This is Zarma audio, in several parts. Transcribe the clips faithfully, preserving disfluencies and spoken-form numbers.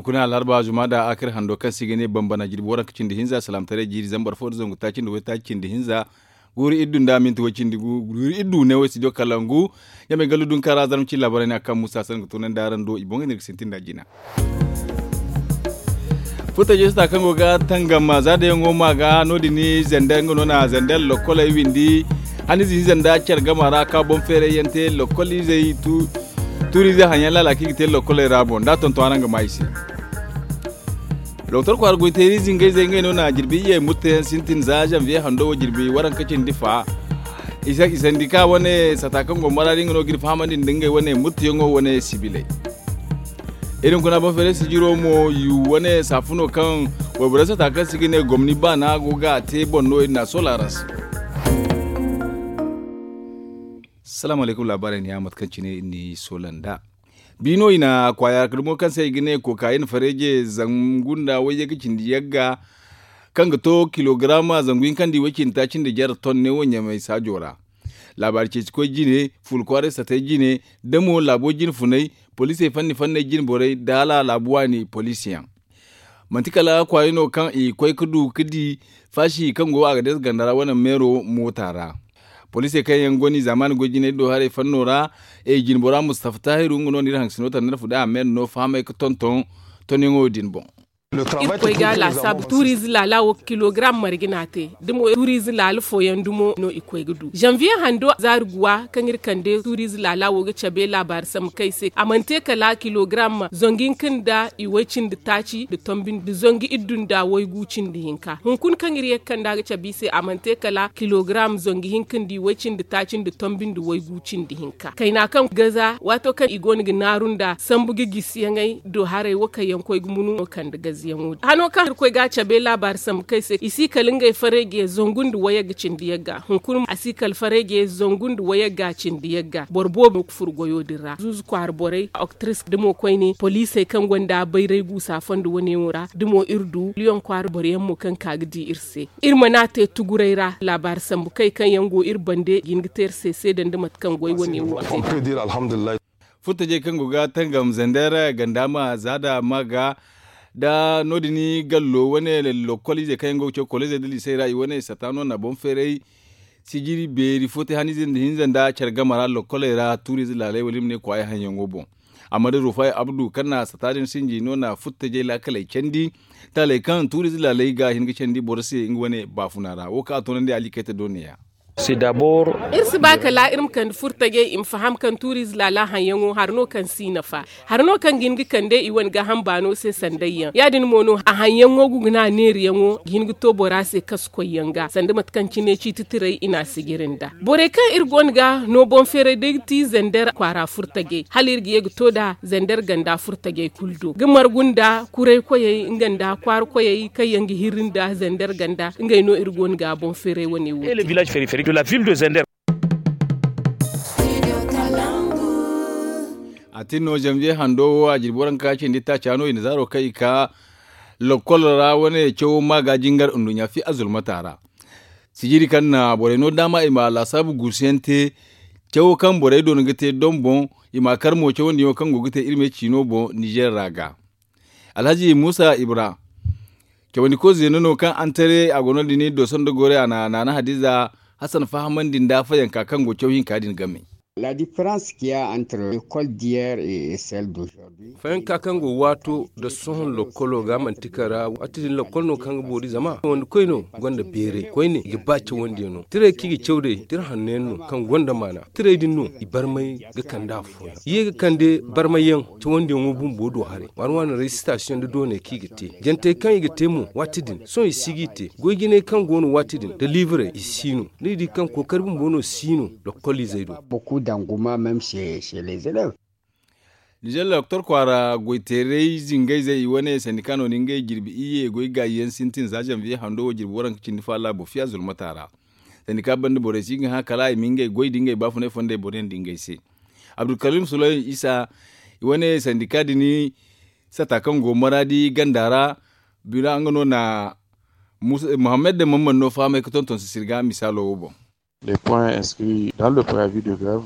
Kuna alharba zuma da akar hando kaŋ se i ga ne bambana jirbi waranka cindi hinza salaamataray jiiri zambar fo nda zangu taaci nda waytaaci cindi hinza. Guuru iddu nda minti way cindi gu guuru iddu ne way studio kalangu. Ɲamay gallu dunka ra zarma ci laabaray ne a kaŋ musa sangu tunandi araŋ do i boŋ ga ne ga sintin da jina. Furtajey sata kaŋ go ga tangam za da yaŋo ma ga no- din zandar nga no na zandar lokkoley windi. Hanize hinza nda care gama ra ka boŋ feeray yaŋ te lokkolizey tuuriizey haŋ yaŋ laala kaŋ i ga te lokkoley ra boŋ da a tonton araŋ ga ma i se. Doktor kwaara goy teeri zingayzey ngey no na jirbi iyye murteyaŋ sintin za zanviye hando wo jirbi waranka cindi fa. Isandika wane sata kaŋ go maraadi nga no ga iri fahamandi nda ngey wane murteyaŋo wane sibiley. Iri hunkuna boŋ feeray sijiro mo yu wane saafuno kaŋ wayborey sata kaŋ se i ga ne gomni baana go ga a te boŋ no iri na a soola araŋ se. Salaamu alaykum laabaarey ni ya mate kaŋ cine iri n'i soola nd'a. Bi no i na kwaaya dumo kaŋ se i ga ne kokayin fareeje zangu nda wayye ga cindi yagga kaŋ ga to kilogarama zangu hinka nda i way cindi taaci nda jare ton ne wo ɲamay saajo ra. Laabaari ceeci koy jine fuula kwaaray satay jine da mo laabo jine funay poliisey fanni fanney jine borey da hala laabu waani poliisi yaŋ. Manti kala kwaayey no kaŋ i koy ga du ga di faasi kaŋ go a ga deesa ganda ra wane meero moota ra. Poliisey kaŋ yaŋ go no i zaamaani goy jinay do haray fanno ra. Jinbora mustafa taahiru nga no no iri haŋgasino tanda nda fude a meera no fahamay ga tonton tonyaŋo din boŋ. Iri koy ga a laasaabu tuuriize laala wo ga kilogaram marje no a te da mo tuuriize laala fooyaŋ dumo no i koy ga du zanviye hando zaari guwa kaŋ iri kande tuuriize laala wo ga cabe laabaari sambu kaŋ i se a mana te kala kilogaram zangu hinka nda i way cindi taaci nda tonbi nda zangu iddu nda waygu cindi hinka hunkuna kaŋ iri ye ga kande a ga cabe i se a mana te kala kilogaram zangu hinka nda i way cindi taaci nda tonbi nda waygu cindi hinka kayna kaŋ gaza waato kaŋ i go no ga naaru nda sambu ga gisiyaŋey do haray wo kaŋ yaŋ koy ga munu no kande gaziyaŋo din hano kaŋ iri koy ga a cabe laabaari sambu kaŋ i se i si kala ngey fareeje zangu nda wayagga cindi yagga hunkuna a si kala fareeje zangu nda wayagga cindi yagga boro boobo ga furo goyo din ra zuuzu kwaara borey oktris da mo koyne poliisey kaŋ gonda bayray guusa fondo wane wo ra da mo iri du liyoŋ kwaara boro yaŋ mo kaŋ ka ga di iri se iri mana te tuguray ra laabaari sambu kay kaŋ yaŋ go iri bande ga hin ga te iri se seeda nda mate kaŋ goy wane wo te. Furtajey kaŋ go ga tangam zander ganda ma za da ma ga da no- din gallo wane lokol izey kaŋ yaŋ go ga caw kolizey da liisey ra i wane sata no na boŋ feeray sijiri beeri fo te hanize nda hinza nda care game ra lokoley ra tuurize laaley wala i ma ne kwaayi haŋyaŋo boŋ. Amma da rufay abdu kaŋ na sata din sinji no na furtajey laakaley candi taaley kaŋ tuurize laaley ga hin ga candi boro se nga wane baafuna ra wo kaŋ a toonandi alikayta do neeya. Iri si ba kala iri ma kande furtajey i ma faham kaŋ tuuriize laala haŋyaŋo hari no kaŋ si nafa hari no kaŋ ga hin ga kande i wane gaaham baano se sandayyaŋ ya- din mo no a haŋyaŋo ga guna neeriyaŋo ga hin ga to bora se kasu koyyaŋ ga sanda mate kaŋ cine ciiti tiray i na a sijiri nda borey kaŋ iri go no ga no boŋ feeray day ga ti zander kwaara furtajey hala iri ga ye ga to nd'a zander ganda furtajey kulu do ga margu nda kuray koyey nga nda kwaara koyey kaŋ yaŋ ga hirri nda zander ganda ngey no iri go no ga boŋ feeray wane wo te. A tin no zanviye hando wo a jirbi waranka cindi taaca no i na zaaro kaŋ i ka lokol ra wane cawo ma ga jingar nduɲɲa fi azulmata ra. Sijiri kaŋ na borey no daama i ma laasaabu guusuyaŋ te cawo kaŋ borey doona ga te doŋ boŋ i ma kar mo cawandiyaŋo kaŋ go ga te iri me ciino boŋ nizer ra ga. Alhazi muusa ibra cawandi ko zeeno no kaŋ antare a go no din doso nda gore a na naana hadiza hasan fahamandi nda fayanka kaŋ go caw hinka din game. Fayanka kaŋ go waato nda sohõ lokkolo ga manti kara waati din lokkol no kaŋ ga boori zama cawandi koy no gonda beeray koyne i ga ba cawandiyaŋ no tiray kaŋ i ga caw day tira hanno yaŋ no kaŋ gonda maana tiray din no i barmay ga kande afooyaŋ i ye ga kande barmay yaŋ cawandiyaŋo bumbo do haray waani waani resitasiyoŋ nda dooney kaŋ i ga te jantey kaŋ i ga te mo waati din sohõ i si ga i te goy jinay kaŋ go no waati din nda liibiray i si no ni di kaŋ kookari bumbo no si no lokkol izey do. Nizer doktor kwaara goyteeray zingayzey i wane sandika no na ngey jirbi iyye goy gaayi yaŋ sintin za zanviye hando wo jirbi waranka cindi fa laabo fiya zulmata ra. Sandika banda borey si ga hã kala i ma ngey goy nda ngey baafunay fondey boro yaŋ nda ngey se. Abdulkarim sulay isa i wane sandika din sata kaŋ go maraadi ganda ra bira nga no na muhammad da mamman no fahamay ga tonton sisiri ga misaalo wo boŋ. Les points inscrits dans le préavis de grève.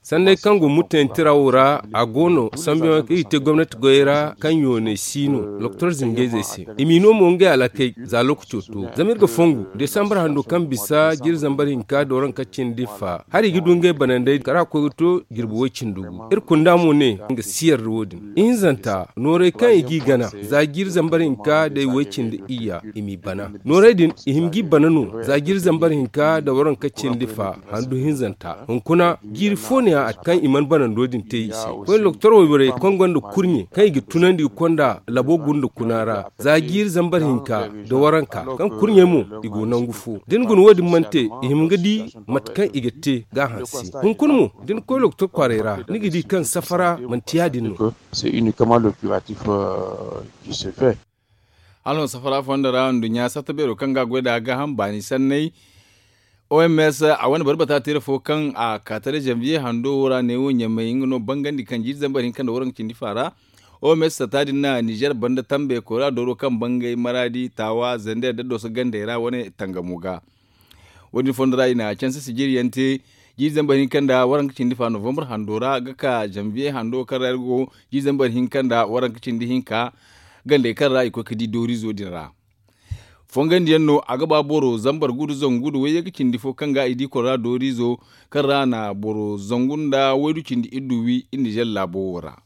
Sanney kaŋ go murtayaŋ tira wo ra, a go no sambuyaŋo kaŋ i ga te gomnati goyey ra kaŋ yoonay si no doktor zingayzey se. I m'i no mo ngey alakey za lookaco to zama iri ga fongu desambar hando kaŋ bisa jiiri zambar hinka da waranka cindi fa hari i ga du ngey banandey kala a koy ga to jirbi way-cindi gu. Iri kunda mo ne nga si yarda wo- din ihinzanta nooray kaŋ i g'i gana za jiiri zambar hinka da way-cindi iyya i m'i bana. Nooray din i hima g'i bana no za jiiri zambar hinka da waranka cindi fa handu hinzanta hunkuna jiiri fo no ya a kaŋ i mana banando din te i se. Koyne doktor wayborey kaŋ gonda kurɲe kaŋ i ga tunandi ga konda labo gunda kuna ra za jiiri zambar hinka da waranka kaŋ kurɲey mo i go nangu fo da ni guna wo- din mana te i hima ga di mate kaŋ i ga te ga a hanse. Hunkuna mo da ni koy doktor kwaaray ra ni ga di kaŋ safara manti ya- din no. Hala no safara fondo ra nduɲɲa sarta beero kaŋ ga a goy nd'a gaaham baani sanney. Oms a wane barbata tira fo kaŋ a ka tara zanviye hando wo ra neewo ɲamay nga no bangandi kaŋ jiiri zambar hinka nda waranka cindi fa ra. Oms sarta din na nizer banda tambe koyra dooro kaŋ bangay maraadi taawa zander da dooso gandey ra wane tangamo ga. Wo- din fondo ra i na canse sijiri yaŋ te jiiri zambar hinka nda waranka cindi fa novambar hando ra ga ka zanviye hando kaŋ ra iri go jiiri zambar hinka nda waranka cindi hinka gandey kaŋ ra i koy ga di dooriizo din ra. Fongandi yaŋ no a ga ba boro zambar gu nda zangu nda wayye ga cindi fo kaŋ ga i di kora dooriizo kaŋ ra na boro zangu nda waydu cindi iddu wi iri nizer laabo wo ra.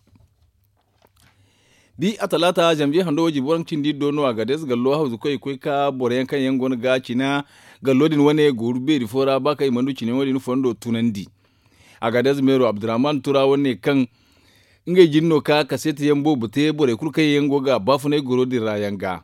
Bi a talaata zanviye hando wo jirbi waranka cindi iddu no a ga deeza gallo hawzu koy ga koy ka boro yaŋ kaŋ yaŋ go no ga cina gallo din wane gooru beeri fo ra ba kaŋ i mana du cina yaŋo din fondo tunandi. A ga deeza meero abdurrahman tura wane kaŋ ngey jine no ka kaseeti yaŋ boobo te borey kulu kaŋ yaŋ go ga baafunay goro din ra yaŋ ga.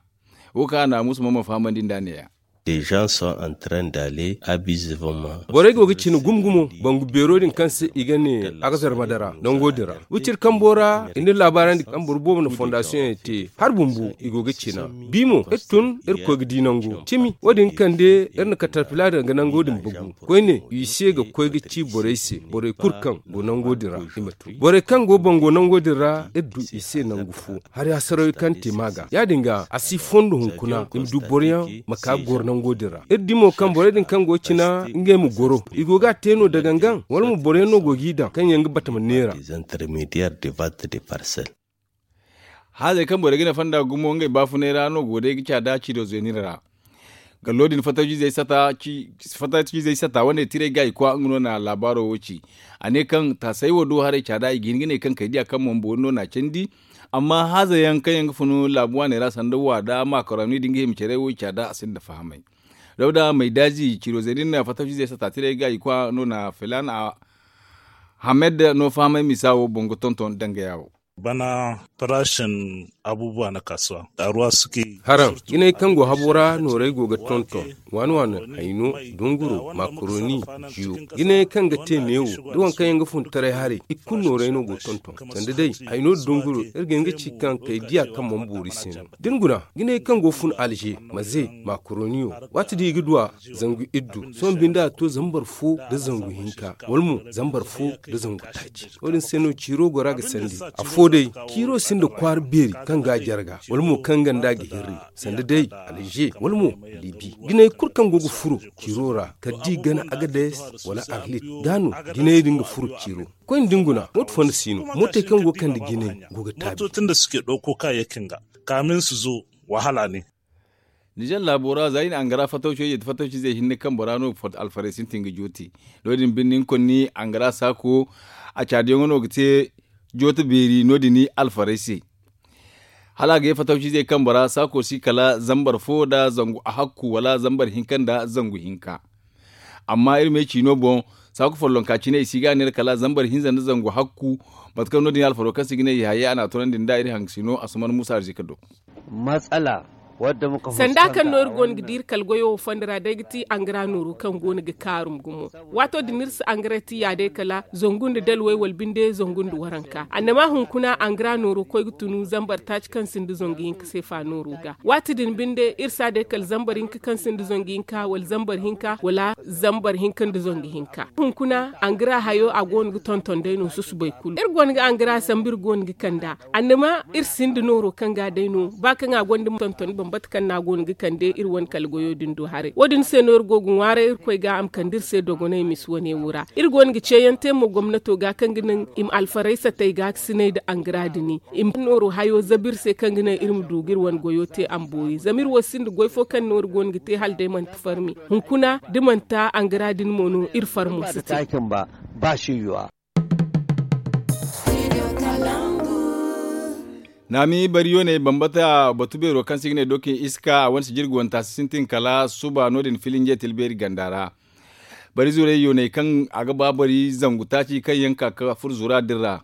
Wo kaŋ a na muusu ma ma fahamandi nd'a ne- ya. Des gens sont en train d'aller abusivement. Borey go ga cina gumo gumo bangu beero din kaŋ se i ga ne a ga zarma dara nango din ra wiciri kambo ra i na laabaarandi kaŋ boro boobo na fondasiyoŋ yaŋ te hari bumbo i go ga cina. Bi mo iri tun iri koy ga di nango cimi wo- din kande iri na katarpila daŋ ga nango din bagu koyne i se ga koy ga ci borey se borey kulu kaŋ go nango din ra i ma tun borey kaŋ go bango nango din ra iri du i se nangu fo. Hari hasarawi kaŋ te ma ga ya- din ga a si fondo hunkuna i ma du boroyaŋ ma ka goro nango din ra iri di mo kaŋ borey din kaŋ go cina ngey ma goro i go ga a te no dagangaŋ wala mo boroyaŋ no go g'i daŋ kaŋ yaŋ ga batama neera. Haazey kaŋ borey ga ne fonda gumo ngey baafunay ra no go day ga caada ciido zeenir ra. Gallo din fatawcizey sata wane tiray ga i kwa nga no na laabaaro wo ci. A ne kaŋ taasay wo do haray caada i ga hin ga ne kaŋ kay diya kaŋ mo boori no na candi. Amma haaza yaŋ kaŋ yaŋ ga funu laabu waaney ra sanda wa da makaroni da nga hima care wo i caada a sinda fahamay. Dawda maydaazi ciiro zeedin na fatawcizey sata tiray ga i kwa no na filan a hamed no fahamay misa wo boŋ ga tonton dangaya wo. Bana farashin abubuwa na kasuwa karuwa suke. Haraŋ jinay kaŋ go habo ra nooray go ga tonton waani waani hayno dunguro makaroni jiyo. Jinay kaŋ ga te neewo da waŋ kaŋ yaŋ ga fun taray haray i kulu nooray no go tonton sanda day hayno dunguro iri ga hin ga ci kaŋ kay diya kaŋ mana boori se no da ni guna jinay kaŋ go fun alze maze makaroniyo waati din i ga duwa zangu iddu sohõ binde a to zambar fo nda zangu hinka wala mo zambar fo nda zangu taaci. Wo- din se no ciiro gora ga sandi afo day ciiro sinda kwaara beeri kaŋ ga a jarga wala mo kaŋ ganda ga hirri sanda day alze wala mo libi. Jinay kulu kaŋ go ga furo ciiro ra kala da i gana agades wala arlit ga no jinay din ga furo ciiro. Koyne da ni guna mooto fonda si no mootey kaŋ go ga kande jinay go ga taabi. Mootocin da suke ɗauko kayayyakin ga kamin su zo wahala ne. Nizer laabo ra za i na angara fatawco yeeti fatawcizey hinne kaŋ bora no alfarey sintin ga jooti. No- din binde ni konni angara saako a caadiyaŋo no ga te jooti beeri no- din alfarey se. Hala a ga ye fatawcizey kaŋ bora saako si kala zambar fo nda zangu a hakku wala zambar hinka nda zangu hinka. Amma iri me ciino boŋ saako follonka cine i si ga a neera kala zambar hinza nda zangu hakku. Mate kaŋ no- din alfaro kaŋ se i ga ne i hayey a na a tunandi nd'a iri haŋ ga si no a suman muusa arzika do. Sanda kaŋ no iri go no ga di iri kala goyo wo fondo ra day ga ti angara nooro kaŋ go no ga kaarum gumo. Waato din iri si angara ti ya day kala zangu nda dalwey wala binde zangu nda waranka annama hunkuna angara nooro koy ga tunu zambar taaci kaŋ sinda zangu hinka seefa nooro ga. Waati din binde iri si a day kala zambar hinka kaŋ sinda zangu hinka wala zambar hinka wala zambar hinka nda zangu hinka hunkuna angara hayo a go no ga tonton day no susubay kulu iri go no ga angara sambu iri go no ga kand'a. Annama iri sinda nooro kaŋ ga day no ba kaŋ a gonda tonton. Bambata kaŋ no a go no ga kande iri wane kala goyo din do haray wo- din se no iri go ga ŋwaaray irkoy ga a ma kande iri se dogonay misa wane wo ra. Iri go no ga ceeyaŋ te mo gomnato ga kaŋ ga naŋ i ma alfaraysa tay ga ga sinay nda angara dini i ma nooru hayo zabu iri se kaŋ ga naŋ iri ma du ga iri wane goyo te a ma boori zama iri wo sinda goy fo kaŋ no iri go no ga te hala day manti farmi hunkuna da manti angara dini mo no iri farmo si te. Naami bari yooney bambata batu beero kaŋ se i ga ne dokin iska a wane sijirga wanta si sintin kala suba no- din filinje tilbeeri ganda ra. Bari zurey yooney kaŋ a ga ba bari zangu taaci kaŋ yaŋ ka ga furo zura din ra.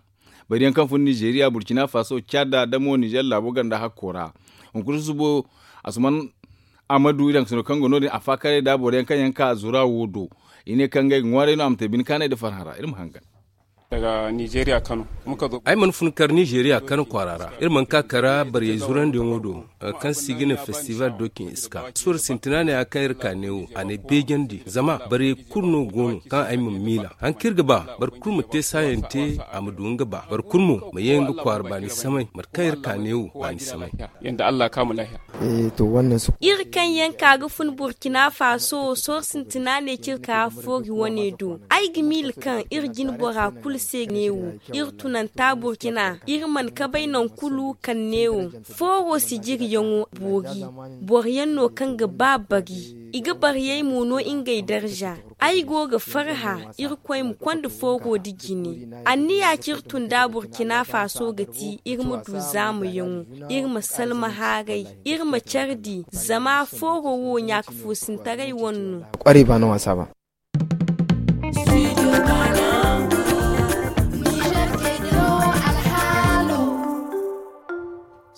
Bari yaŋ kaŋ fun nizeeriya burkina faso cada da mo nizer laabo ganda hakko ra. Hunkuna susubo asuman amadu iri haŋ ga sino kaŋ go no- din a faakaray nda boro yaŋ kaŋ yaŋ ka zura wo do. I ne kaŋ ngey ga ŋwaaray no a ma te bine kaanay nda farhã ra iri ma hangan. Ay mana fun kar nizeeriya kano kwaara ra iri mana ka kara bariyey zurandiyaŋo do. Kaŋ se i ga ne festival dokin iska suwar sintina ne ya kaŋ iri ka neewo a ne beejandi zama bariyey kulu no go no kaŋ ay ma miila haŋ kaŋ iri ga ba boro kulu ma te saayaŋ te. A ma du nga ba boro kulu mo ma ye nga kwaara baani samay mate kaŋ iri ka neewo baani samay. Iri kaŋ yaŋ ka ga fun burkina faso wo sohõ sintina ne kaŋ iri ka foori wane do. Ay ga miila kaŋ iri jine bora kulu se neewo iri tunanta burkina iri mana kabay nangu kulu kaŋ neewo fooro sijiriyaŋo boori. Boro yaŋ no kaŋ ga ba bari i ga bariyey mo no ngey darza. Ay go ga farhã irkoy ma konda fooro nda jine. Anniya kaŋ iri tun nd'a burkina faso ga ti iri ma du zaamayaŋo, iri ma salma haaray, iri ma care di zama fooro wo ɲaaka foosintaray wane no.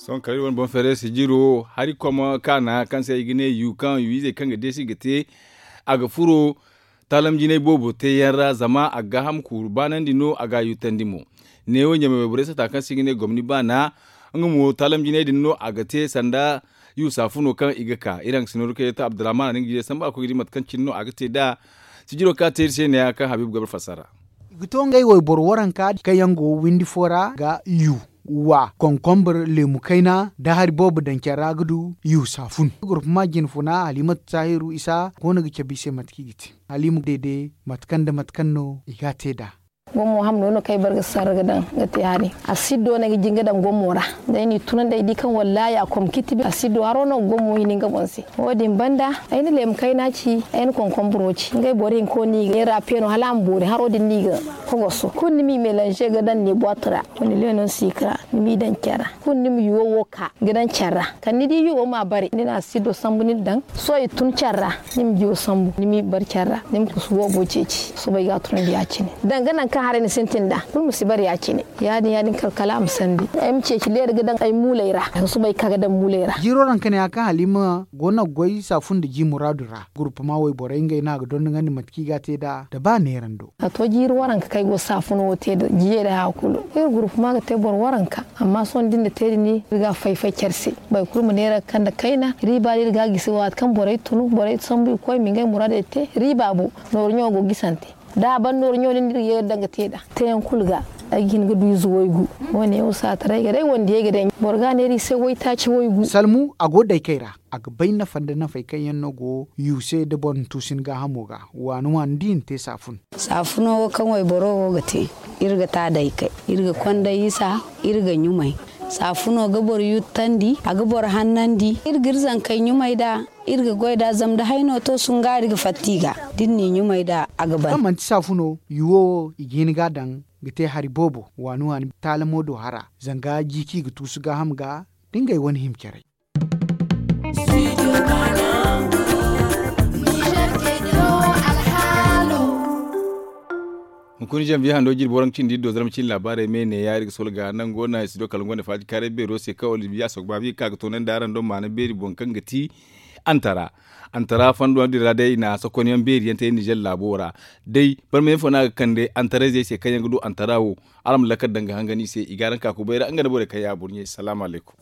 Sohõ kala iri wane boŋ feeray sijiro hari koma kaana kaŋ se i ga ne yu kaŋ yu izey kaŋ ga deesi ga te. A ga furo taalam jinay boobo teeyaŋ ra zama a ga gaaham kuuru baanandi no a ga a yuutandi mo. Neewo ɲamay wayborey sata kaŋ se i ga ne gomni baana nga mo taalam jinay din no a ga te sanda yu saafuno kaŋ i ga ka iri haŋ ga sinooru kay ta abdurrahman a na nga jiirey sambu a koy ga di mate kaŋ cine no a ga te nd'a. Sijiro kaŋ a te iri se neeya kaŋ habiibu ga bare fassara. I ga to ngey wayboro waranka kaŋ yaŋ go windi fo ra ga yu wa konkombur leemu kayna nda hari boobo daŋ care ra ga du yu saafun. Gurpuma jinfuna halimatu tahiru isa go no ga cabe i se mate kaŋ i ga te. Halima deede mate kaŋ nda mate kaŋ no i ga a te nd'a. Gommo hamno no kaŋ ay bare ga sarra ga daŋ ga te hari. A siddo no ay ga jin ga daŋ gommo ra. Day no i tunandi ay di kaŋ wallaahi a komkiti a siddo haro no ga gommo hini nga boŋ se. Wo- din banda ay na leemu kayna ci ay na konkomburo ci ngey boro hinko no i ga yeera peeno hala a ma boori haro din no i ga kogoso kulu ni m'i melanze ga daŋ ne boite ra. Wala leeno sikira ni m'i daŋ care ra kulu ni ma yuwo wo ka ga daŋ care ra. Kala ni di yuwo ma bare ni na a siddo sambu ni daŋ sohõ i tun care ra. Ni ma jiwo sambu ni m'i bare care ra ni ma kusu boobo ceeci sohõ ay ga a tunandi ya- cine. Danga nangu kaŋ haray ni sintin nd'a kulu ma si bare ya- cine. Ya- din ya- din kala kala a ma sandi ay ma ceeci leera ga daŋ ay muuley ra. Suba ay ka ga daŋ muuley ra. Jiiro ra kaŋ ne ya kaŋ halima go no ga goy saafu nda ji muraadu ra gurpuma wayborey ngey no a ga dondonandi mate kaŋ i ga a te nd'a nda ba neerando. A to jiiri waranka kaŋ ay go saafuno wo te nda jiyey nda haya kulu iri gurpuma ga te boro waranka. Amma sohõ da iri na te din iri ga a fay fay care se. Boro kulu ma neera ga kande kayna riiba no iri ga a gisi waati kaŋ borey tunu borey sambu i ga koy ma ngey muraadey te riiba bo. Nooru ɲaŋo go gisante da a ban nooru ɲaŋo din no iri ga ye ga daŋ ga te nd'a. Teeyaŋ kulu ga ay ga hin ga du ize waygu. Wo- ne wo saataray ga day wandiyey ga day boro ga a neera i se waytaaci waygu. Salmu a go daykey ra a ga bay nafa nda nafey kaŋ yaŋ no go yu se nda boro na tuusu ni gaahamo ga waani waani da i na te saafun. Saafuno wo kaŋ wayboro wo ga te iri ga te a daykey iri ga konday isa iri ga ɲumay. Saafuno ga boro yuttandi a ga boro hannandi iri ga iri zankey ɲumay nd'a. Iri ga goy nd'a zama da hayno to sungaari ga fatta i ga da iri n'i ɲumay nd'a a ga ban. Kaŋ manti saafuno yuwo wo i ga hin ga a daŋ ga te hari boobo waani waani taalamo do hara zanga ji kaŋ i ga tuusu gaaham ga da ngey wane hima caray. Hunkuna zambi hando jirbi waranka cindi iri do zarma cine laabaarey me neeya iri ga sola ga nango naŋ studio kala ngo nda faaji kaaray beero se kaŋ olibiya sokbaabi ga ka ga toonandi araŋ do maana beeri boŋ kaŋ ga ti antara. Antara fondo din ra day i na sokonyaŋ beeri yaŋ te nizer laabo ra. Day barmayaŋ fo no a ga kande antarayzey se kaŋ yaŋ ga du antara wo. Araŋ ma lakkal daŋ ga hangan i se i ga araŋ ka kubay ra nga nda borey kaŋ ya burɲey salaamu alaykum.